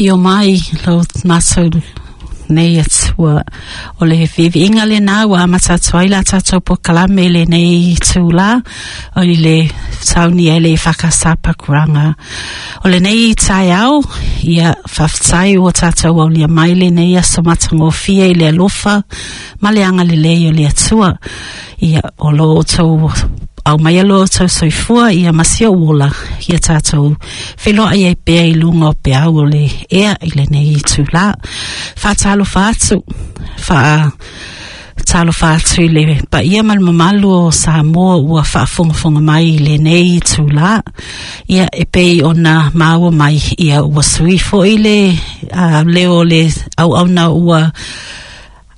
Afio mai lo matou nei Atua. O le viiviiga lena ua amata atu ai la tatou polokalame i lenei itulā, o le saunia e le EFKS Pakuranga. O lenei taeao, ia faafetai ua tatou aulia mai lenei aso matagofie i le alofa ma le agalelei o le Atua. Ia, o lo outou aumaia lo outou soifua ia ma si ou ola, ia tatou feiloai ai pea i luga o peau o le ea i lenei itulā. Faatalofa atu, faatalofa atu i le paia ma le mamalu o Samoa ua faafogafoga mai i lenei itulā. Ia, e pei ona maua mai, ia ua sui foi le leo o le auauna ua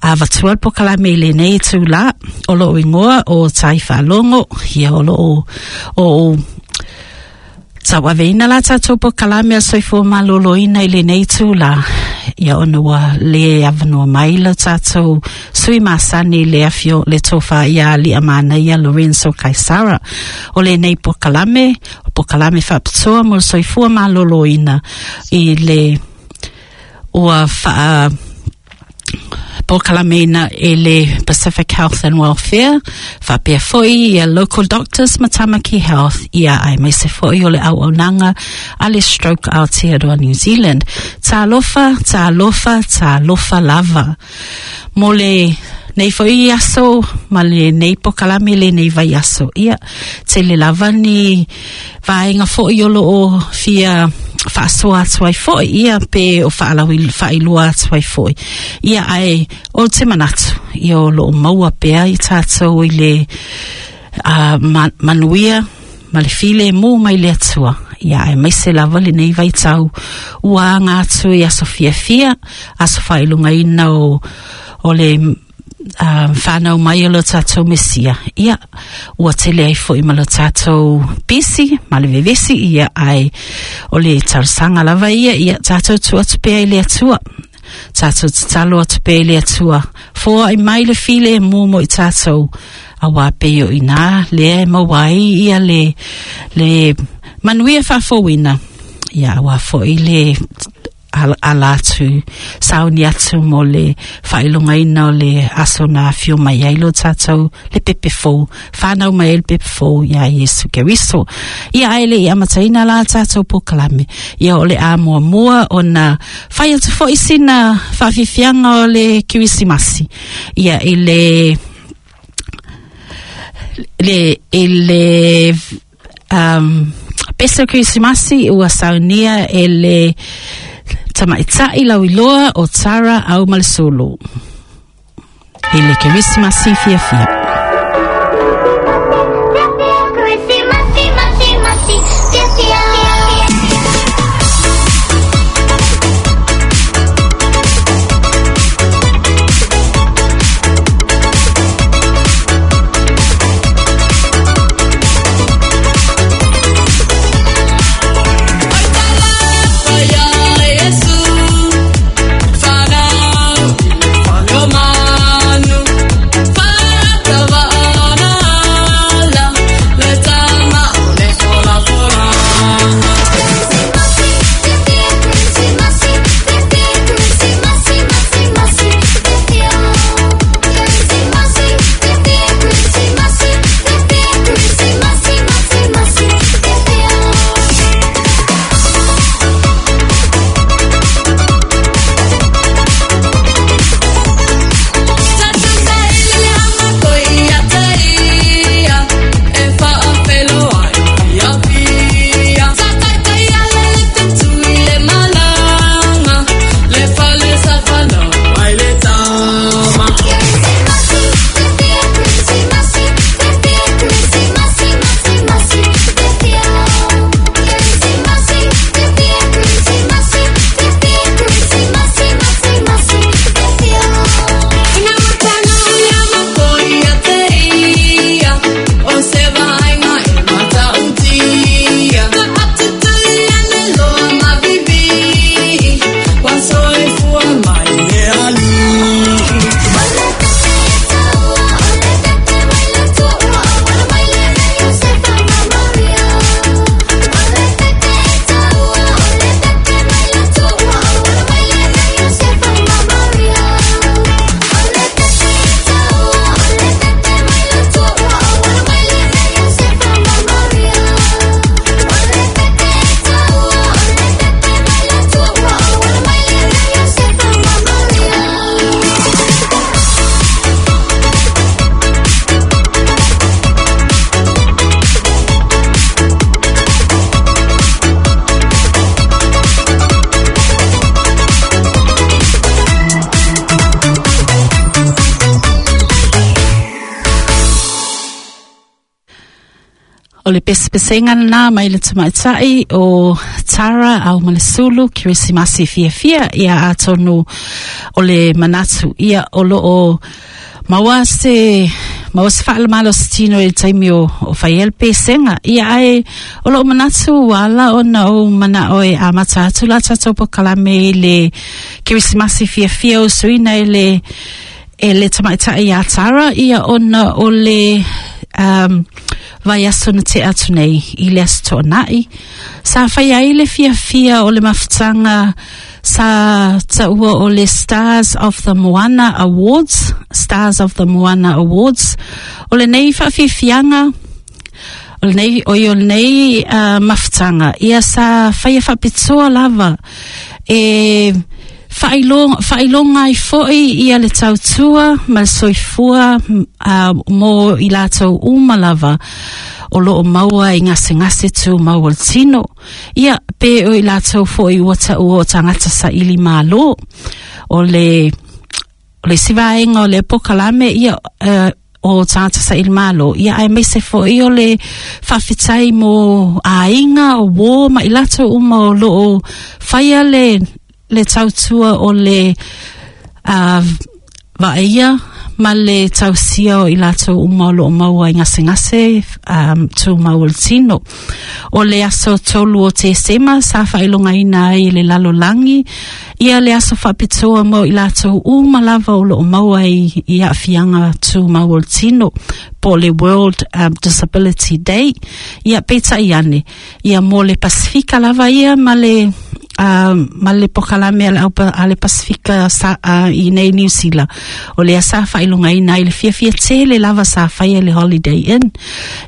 avatua le polokalame i lenei itulā. O lou igoa o Tai Faalogo, ia o loo o tauaveina la tatou polokalame a Soifua Maloloina i lenei itulā, ia ona ua le avanoa mai lo tatou sui masani le afio le tofa ia Aliimaanaia Lorenzo Kaisara. O lenei polokalame, o polokalame faapitoa mo le soifua maloloina i le ua faa polokalameina e le Pacific Health and Welfare, faapea foi ia Local Doctors ma Tamaki Health, ia aemaise foi o le auaunaga a le Stroke Aotearoa New Zealand. Talofa, talofa, talofa lava. Mo le nei foi aso ma le nei polokalame lenei vaiaso, ia, tele lava ni vaega foi o loo fia faasoa atu ai foi, ia pe o faalaui faailoa atu ai foi. Ia ae o te manatu, ia o loo maua pea i tatou i le manuia ma le filemu mai le Atua. Ia aemaise lava lenei vaitau ua aga atu i aso fiafia, aso faailogaina o le whanau mai o lo tatou Mesia. Ia, ua tele ai foi ma lo tatou pisi, ma le vevesi, ia ae o le talosaga lava ia, ia tatou tuu atu pea i le Atua. Tatou tatalo atu pea i le Atua. Foai mai le filemu mo i tatou, auā pei o i nā lea e maua ai ia le manuia faafouina. Ia, auā foi le ala atu, sauni atu mo le faailogaina o le aso na afio mai ai lo tatou le pepe fou, whanau mai ai le pepe fou ia Iesu Keriso. Ia ae le i amataina la tatou polokalame. Ia o le a muamua ona fai atu foi sina faafiafiaga o le Kerisimasi. Ia i le pese o Kerisimasi ua saunia e le tamaitai lauiloa o Tara Aumalesulu. I le Kerisimasi fiafia. Krisimasi, masi, masi, fiafia. Oi talofa ia Iesu, whanau i le fale o manu. O le pesepesega lena mai le tamaitai o Tara Aumalesulu, Kerisimasi fiafia. Ia atonu o le manatu ia o loo maua se maua se faalemalositino i le taimi o, o fai ai le pesega. Ia ae o loo manatu ua ala ona ou manao e amata atu la tatou polokalame i le Kerisimasi fiafia usuina e le e le tamaitai ia Tara, ia ona o le um, vaiaso na tea atu nei i le Aso Toonai sa fai ai le fiafia o le mafutaga sa taua o le Stars of the Moana Awards, Stars of the Moana Awards. O lenei faafiafiaga, o lenei, oi o lenei mafutaga, ia sa faia faapitoa lava e faailoga ai foi ia le tautua ma le soifua mo i latou uma lava o loo maua i gasegase tumau o le tino. Ia, pe o i latou foi ua taua o tagata saili malo. O le, o le isi vaega o le polokalame, ia, o tagata saili malo, ia aemaise foi o le faafetai mo aiga o uō ma i latou uma o loo faia le, le tautua o le vaaia ma le tausia o i latou uma o loo maua i gasegase tumau o le tino. O le aso 3 o Tesema sa faailogaina ai e le lalolagi ia le aso faapitoa mo i latou uma lava o loo maua i, i aafiaga tumau o le tino, po o le World Disability Day. Ia peitai ane, ia mo le Pasifika lava ia ma le ma le polokalame a le, a le Pasifika sa, i nei Niu Sila. O lea sa faailogaina ai le fiafia tele lava sa faia le Holiday Inn.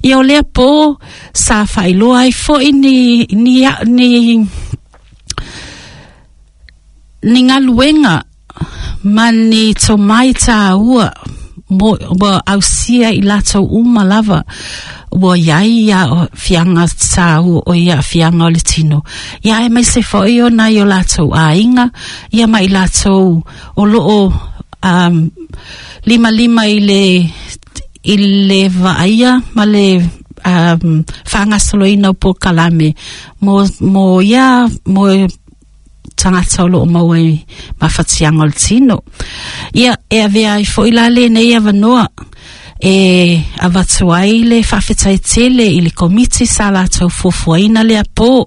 Ia o lea po sa faailoa ai foi ni, ni, ni, ni galuega ma ni tomai tāua mo ua ausia i latou uma lava ua iai ia aafiaga tāua o ia aafiaga o le tino. Ia aemaise foi o nai o latou aiga, ia ma i latou o loo um, limalima i le i le vaaia ma le um, faagasoloina o polokalame mo, mo ia mo tagata o loo maua i mafatiaga o le tino. Ia, e avea ai foi la lenei avanoa e avatu ai le faafetai tele i le komiti sa latou fuafuaina lea po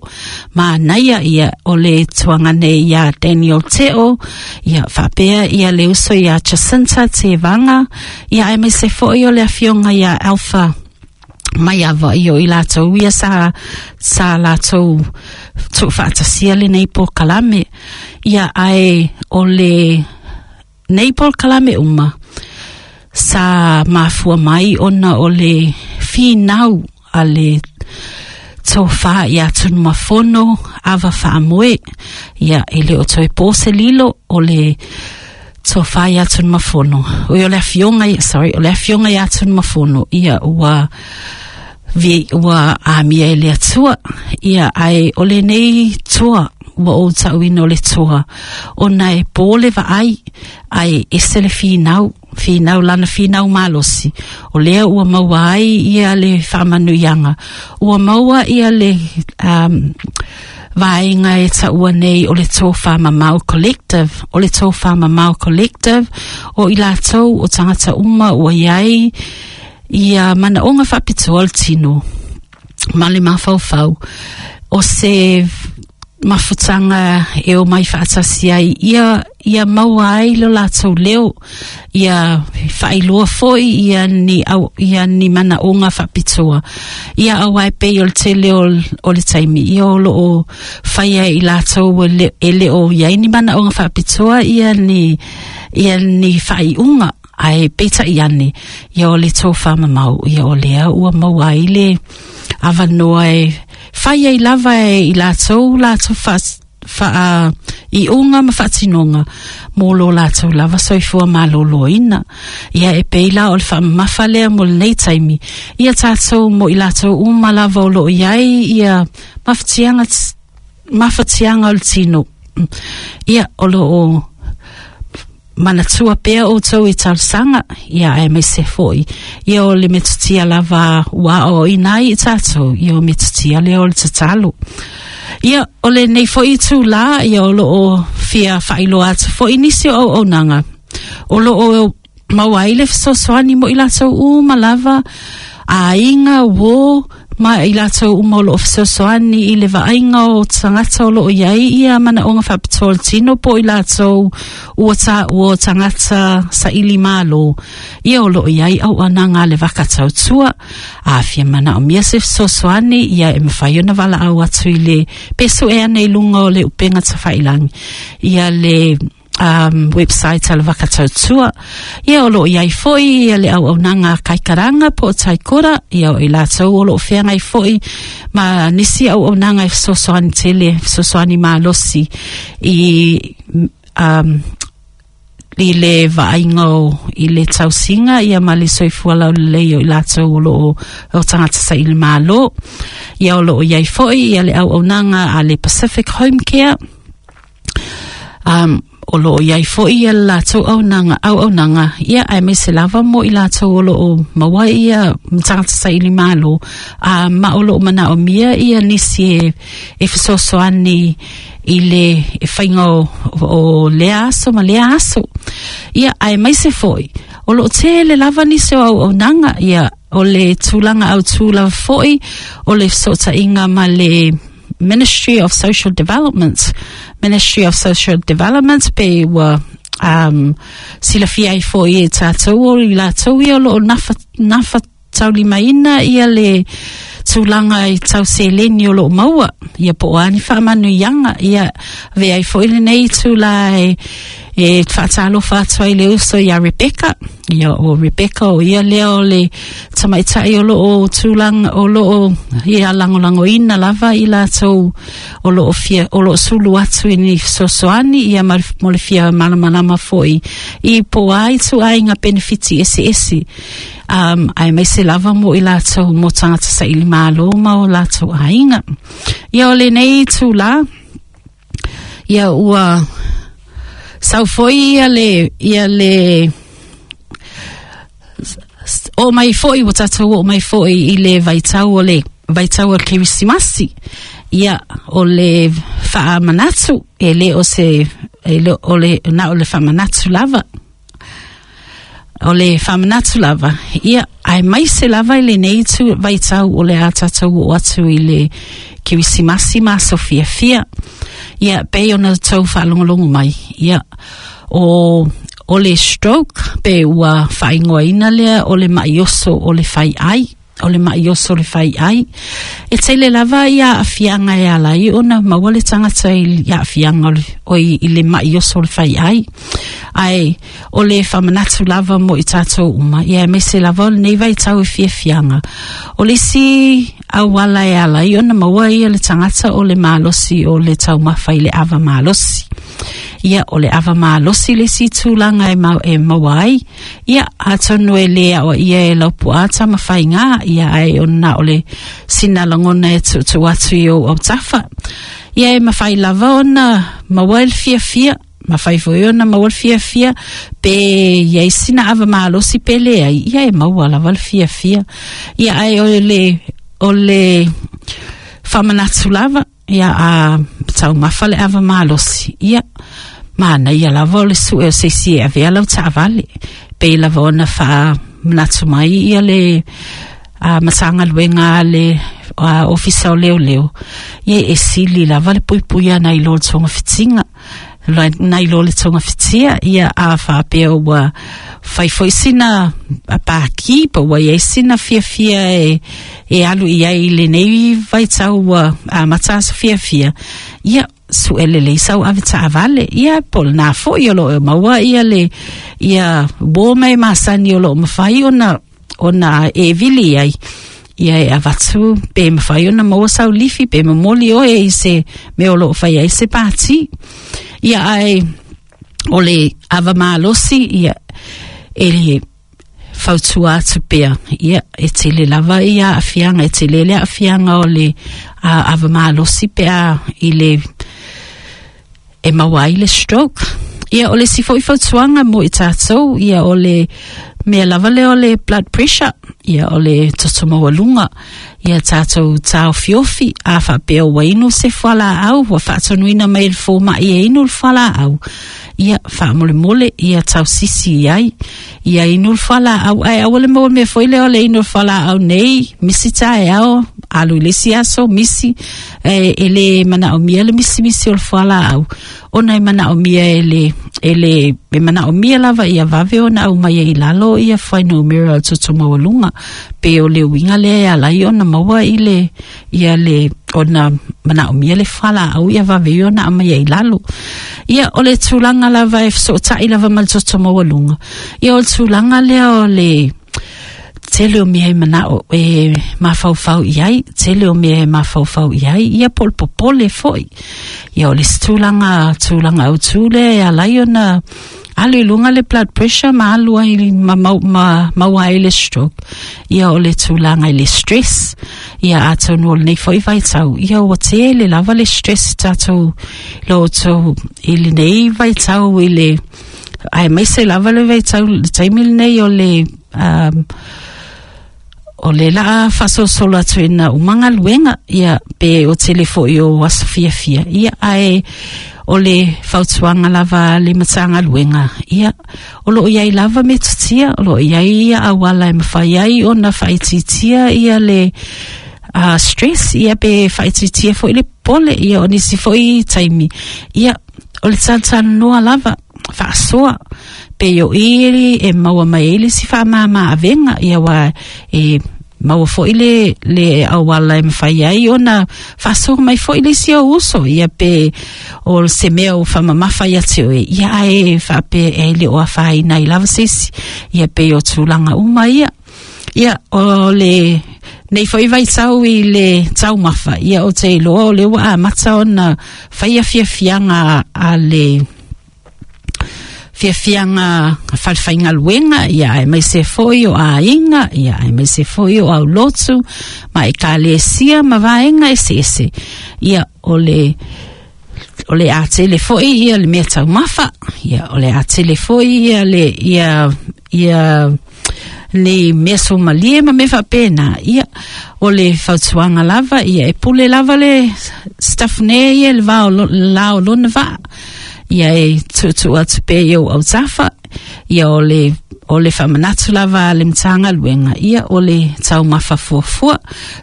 manaia, ia o le tuagane ia Daniel Teo, ia faapea ia le uso ia Jacinta Tevaga, ia aemaise foi o le afioga ia Alpha Maiava, ia o i latou ia sa, sa latou tuufaatasia lenei polokalame. Ia ae o le nei polokalame uma sa mafua mai ona o le finau a le tofa ia Tunumafono Ava Faamoe. Ia e le o toe po se lilo o le tofa ia Tunumafono. Oi o le afioga, sorry, o le afioga ia Tunumafono, ia ua vi, ua amia e le Atua. Ia ae o lenei toa ua ou tauina o le toa ona e po le vaai ae ese le finau finau lana finau malosi o lea ua maua ai ia le faamanuiaga ua maua ia le um, vaega e taua nei o le Tofa Mamao Collective. O le Tofa Mamao Collective o i latou o tagata uma ua iai ia manaoga faapitoa o le tino ma le mafaufau, o se mafutaga e omai faatasi ai ia ia maua ai lo latou leo, ia faailoa foi ia ni au, ia ni manaoga faapitoa ia auā e pei o le tele o, o le taimi ia o loo faia i latou e le, e le o iai ni manaoga faapitoa ia ni ia ni faaiuga. Ae peitai ane, ia o le tofa mamao, ia o lea ua maua ai le avanoa e fai ai lava e i latou latou fa, faaiuga ma faatinoga mo lo latou lava soifua malōlōina. Ia e pei la o le faamamafa lea mo lenei taimi ia tatou mo i latou uma lava o loo iai ia mafatiaga mafatiaga o le tino, ia o loo manatua pea outou i talosaga, ia aemaise foi ia o le metotia lava ua aoaoina ai i tatou, ia o metotia lea o le tatalo. Ia, o lenei foi itulā, ia o loo fia faailoa atu foi nisi o auaunaga o loo maua ai le fesoasoani mo i latou uma lava, aiga, uō, ma i latou uma o loo fesoasoani i le vaaiga o tagata o loo i ai ia manaoga faapitoa o le tino po o i latou ua taua o tagata saili malo. Ia o loo i ai auaunaga a le Vaka Tautua. A fia manaomia se fesoasoani, ia e mafai ona valaau atu i le pe sue ane i luga o le upega tafailagi ia le website a le Vaka Tautua. Ia o loo i ai foi ia le auaunaga a Kaikaranga po o Taikora, ia o i latou o loo feagai foi ma nisi auaunaga e fesoasoani tele, fesoasoani malosi i i le vaaiga o i le tausiga ia ma le soifua laulelei o i latou o loo o tagata saili malo. Ia o loo i ai foi ia le auaunaga a le Pacific Home Care. O loo i ai foi ia le latou auaunaga auaunaga ia aemaise lava mo i latou o loo maua ia tagata saili malo a ma o loo manaomia ia nisi e, e fesoasoani i le faiga o, o lea aso ma lea aso. Ia aemaise foi o loo tele lava nisi o auaunaga ia o le tulaga autū lava foi o le fesootaiga ma le Ministry of Social Development. Ministry of Social Development pe ua silafia ai foi e tatou o i latou ia o loo nafa, nafa taulimaina ia le tulaga i tau seleni o loo maua ia po o a ni faamanuiaga ia avea ai foi lenei itulā e e faatalofa atu ai le uso iā Rebecca. Ia o Rebecca o ia lea o le tamaitai o loo tulaga o loo ia lagolagoina lava i latou o loo fia o loo sulu atu i ni fesoasoani ia ma mo le fia malamalama foi i po o a ituaiga penefiti eseese aemaise lava mo i latou mo tagata saili malo ma o latou aiga. Ia o lenei itulā, ia ua sau foi ia le ia le oo mai foi ua tatou oo mai foi i le vaitau o le vaitau o le Kerisimasi. Ia o le faamanatu e le o se e le o le na o le faamanatu lava. O le faamanatu lava, ia, aemaise lava i lenei itu vaitau o le a tatou oo atu i le Kerisimasi ma aso fiafia. Ia, pei ona tou faalogologo mai, ia, o, o le stroke, pe ua faaigoaina lea o le ma'i oso o le fai'ai, o le ma'i oso o le fai'ai. E tele lava ia aafiaga e ala ai ona maua le tagata i aafiaga o le, oi, i le ma'i oso o le fai'ai. Ae o le faamanatu lava mo i tatou uma, ia aemaise lava o lenei vaitau e fiafiaga. O le isi auala e ala ai ona maua ia le tagata o le malosi o le taumafa i le ava malosi. Ia, o le ava malosi le isi tulaga e, ma, e maua ai. Ia, atonu e lē aoaia e lau puaa tamafaigā, ia ae ona o le sina lagona e tuutuu atu i ou autafa. Ia e mafai lava ona maua le fiafia, mafai foi ona maua le fiafia, pe i ai sina ava malosi pe leai, ia e maua lava le fiafia. Ia ae o le, o le faamanatu lava, ia a taumafa le ava malosi, ia manaia lava o le sue o se isi e avea lau taavale. Pei lava ona faamanatu mai ia le a Matagaluega a le a, Ofisa o Leoleo, ia e sili lava le puipuia nai lo le togafitiga, nai lo le togafitia, ia a faapea ua fai foi sina pākī po ua i ai sina fiafia e, e alu i ai i lenei vaitau ua amata aso fiafia, ia sue lelei sau ave taavale, ia po o lenā foi o loo e maua ia le ia uō ma e masani o loo mafai ona ona e vili ai ia e avatu pe mafai ona maua sau lifi pe momoli oe i se mea o loo fai ai se pātī. Ia ae o le ava malosi ia e fautua atu pea ia e tele lava ia aafiaga e tele le aafiaga o le a, ava malosi pe a i le e maua ai le stroke. Ia, o le isi foi fautuaga mo i tatou, ia, o le mea lava lea o le blood pressure, ia, o le toto maualuga. Ia tatou taofiofi, a faapea ua inu se fualaau, ua faatonuina mai e le fomai e inu le fualaau, ia, faamolemole, ia tausisi i ai. Ia inu le fualaau, ae aua le maua mea foi lea o le inu o le fualaau nei, misi taeao, alu i le isi aso, misi, e, e le manaomia le misimisi o le fualaau, ona e manaomia e le, e le, e manaomia lava ia vave ona aumai ai i lalo ia fuainumera o le toto maualuga. Pe o le uiga lea e ala ai ona maua i le, ia le, ona manaomia le fualaau ia vave ai ona aumai ai i lalo. Ia, o le tulaga lava e fesootai lava ma le toto maualuga, ia o le tulaga lea o le tele o mea e manao e mafaufau i ai, tele o mea e mafaufau i ai, ia po o le popole foi. Ia o le isi tulaga, tulaga autu lea e ala ai ona alu i luga le blood pressure ma alu ai ma, mau, ma maua ai le stroke. Ia o le tulaga i le stress. Ia atonu o lenei foi vaitau, ia ua tele lava le stress i tatou lo outou i lenei vaitau i le aemaise lava le vaitau le taimi lenei o le um, o le laa faasolosolo atu ina uma galuega, ia pe o tele foi o aso fiafia, ia ae o le fautuaga lava a le Matagaluega, ia o loo iai lava metotia, o loo iai ia auala e mafai ai ona faaitiitia ia le stress, ia pe faaitiitia foi le popole, ia o nisi foi taimi, ia o le talatalanoa lava faasoa pe o i e maua mai ai le isi faamama avega, ia aua e maua foi le, le auala e mafai ai ona faasoa mai foi le isi ou uso, ia pe o se mea ua faamamafa ia te oe, ia ae faapea e le o afaina ai lava se isi, ia pei o tulaga uma ia. Ia, o le nei foi vaitau i le taumafa, ia ou te iloa o lea ua amata ona faia fiafiaga a le fiafiaga falefaigaluega, ia aemaise foi o aiga, ia aemaise foi o aulotu ma ekalesia ma vaega eseese. Ia o le o le a tele foi ia le mea taumafa, ia o le a tele foi ia le ia ia ni mea sumalie ma mea faapena. Ia o le fautuaga lava, ia e pule lava le staff nei ia le va o la o lona vaa, ia e tuutuu atu pea i ou autafa. Ia o le o le faamanatu lava a le Matagaluega, ia o le taumafa fuafua,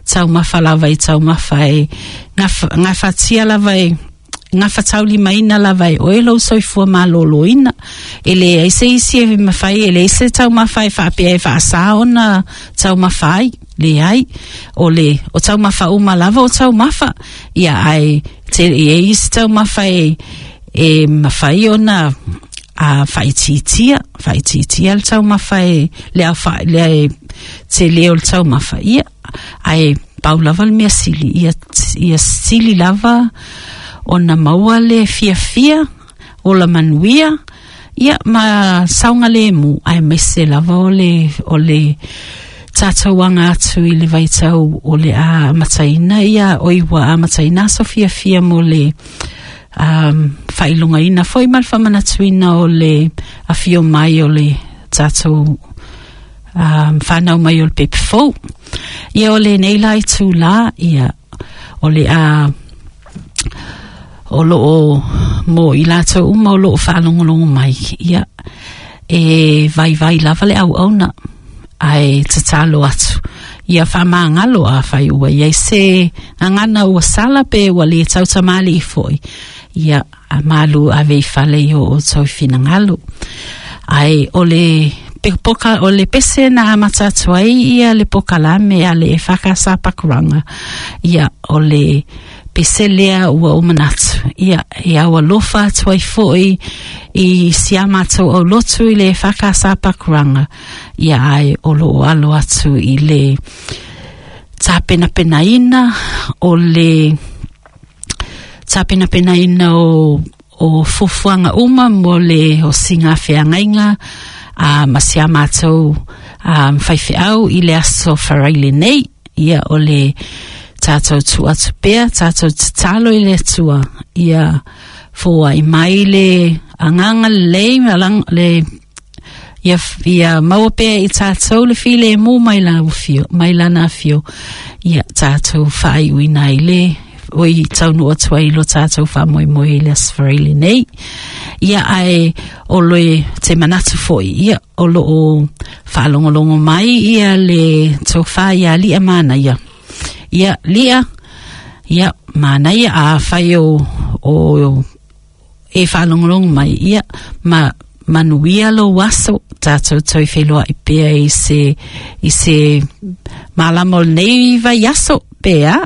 taumafa lava i taumafa e gafatia lava e gafataulimaina lava e oe lou soifua malōlōina. E leai se isi e mafai, e leai se taumafa e faapea e faasā ona taumafa ai, leai. O le, o taumafa uma lava o taumafa, ia ae te, e i ai isi taumafa e, e mafai ona a faaitiitia, faaitiitia le taumafa e, le aofa'i, le tele o le taumafa, ia, ae pau lava le mea sili, ia, ia sili lava ona maua le fiafia, ola manuia, ia, ma saogalemu, aemaise lava o le, o le tatou aga atu i le vaitau o le a amataina, ia, oi ua amataina aso fiafia mo le um, faailogaina foi ma le faamanatuina o le afio mai o le tatou um, whanau mai o le pepe fou. Ia o lenei la itulā, ia o le a o loo mo i latou uma o loo faalogologo mai, ia e vaivai lava le auauna, ae tatalo atu ia faamagalo afai ua i ai se gagana ua sala pe ua le tautamalii foi, ia a malu ave i fale i o outou finagalo. Ae o le poka, o le pese na amata atu ai ia le pokalame a le EFKS Pakuranga, ia o le pese lea ua ou manatu, ia e au alofa atu ai foi i si a matou aulotu i le EFKS Pakuranga, ia ae o loo alo atu i le tapenapenaina o le tapenapenaina o o fuafuaga uma mo le osiga feagaiga a ma si a matou um, faifeau i le aso Faraile nei. Ia o le tatou tuu atu pea, tatou tatalo i le Atua ia Foai mai le agaga lelei ma le ia maua pea i tātou le filemu mai lana afio, mai lana afio. Ia tātou faaiuina ai le oi taunuu atu ai lo tātou faamoemoe i le Aso Faraile nei. Ia ae o le te manatu foi, ia o loo faalogologo mai ia le tofa ia Lia Manaia. Ia Lia, ia manaia afai o e faalogologo mai, ia ma manuia lou aso, tātou toe feiloai pea i se malama o lenei vaiaso pea.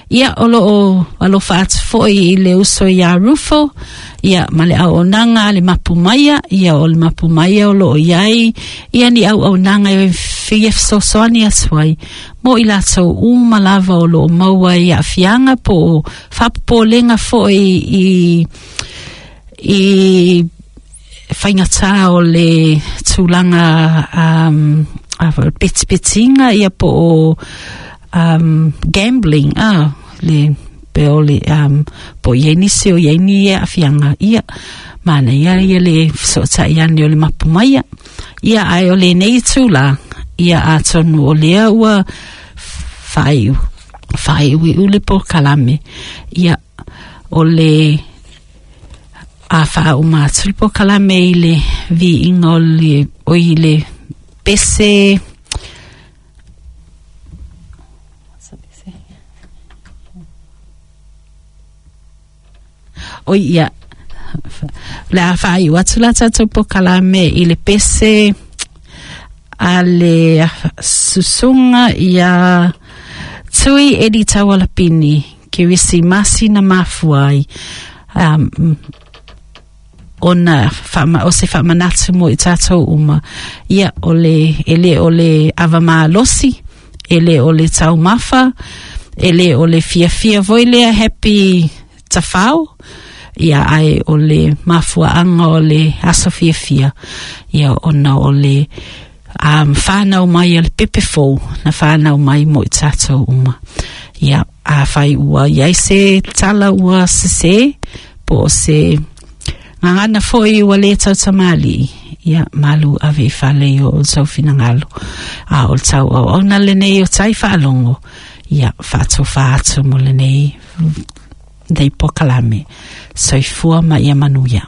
Ia o loo alofa atu foi i le uso ia Rufo, ia ma le auaunaga a le Mapu Maia, ia o le Mapu Maia o loo iai ia ni auaunaga e fia fesoasoani atu ai mo i latou uma lava o loo maua i aafiaga po o faapopolega foi i faigata o le tulaga petipetiga ia po o gambling le pe o le po i ai nisi o i ai ni aafiaga ia manaia ia le fesootai ane o le Mapu Maia. Ia ae o lenei itulā ia atonu o lea ua faaiu faaiuiu le polokalame ia o le a faauma atu le polokalame i le viiga o le oi le pese. Oi ia le a faaiu atu la tatou polokalame i le pese a le susuga ia Tui Edi Taualapini, Kerisimasi na mafua ai ona o se faamanatu mo i tātou uma. Ia o le e le o le avamalosi, e le o le taumafa, e le o le fiafia foi lea happy tafao, ia ae o le mafuaaga o le aso fiafia ia ona o le whānau mai a le pepe fou na whānau mai mo i tātou uma. Ia, afai ua iai se tala ua sese, po o se gagana foi ua le tautamalii, ia malu ave i fale i o outou finagalo. A o le tau auauna lenei o tai faalogo, ia faatofa atu mo lenei nei polokalame. Soifua ma ia manuia.